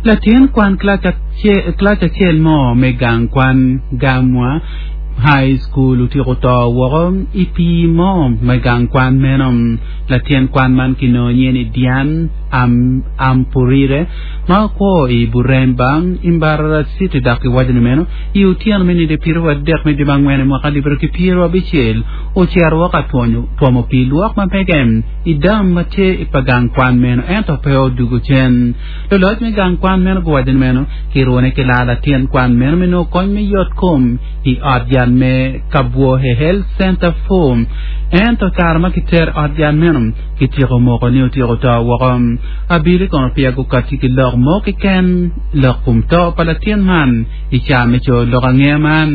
Latin kwan kilac acel mo me gang kwan Gamwa High School otyeko to woko i pii mo me gang kwan meno. Latin kwan man kinongo nyinge ni Diane Ampurire ma kwo i Buremba i Mbarara City dok kiwaco ni meno i otyeno me nino 30 me dwe me angwen i mwaka alip aryo ki pyerabicel ocito woko ka twomo pii lwok ma mege i dam ma tye i pa gang kwan meno ento pe odwogo cen. Luloc me gang kwan meno guwaco ni meno kirune ki laa latin kwan meno me nongo kony me yot kom i ot yat me Kabwohe Health Center Four. Ento i kare ma kitero i ot yat meno, kityeko moko ni otyeko to woko. Abili kono peya gukatti ki lok mo keken lok kom to pa latin man i caa me coyo lok angeya man.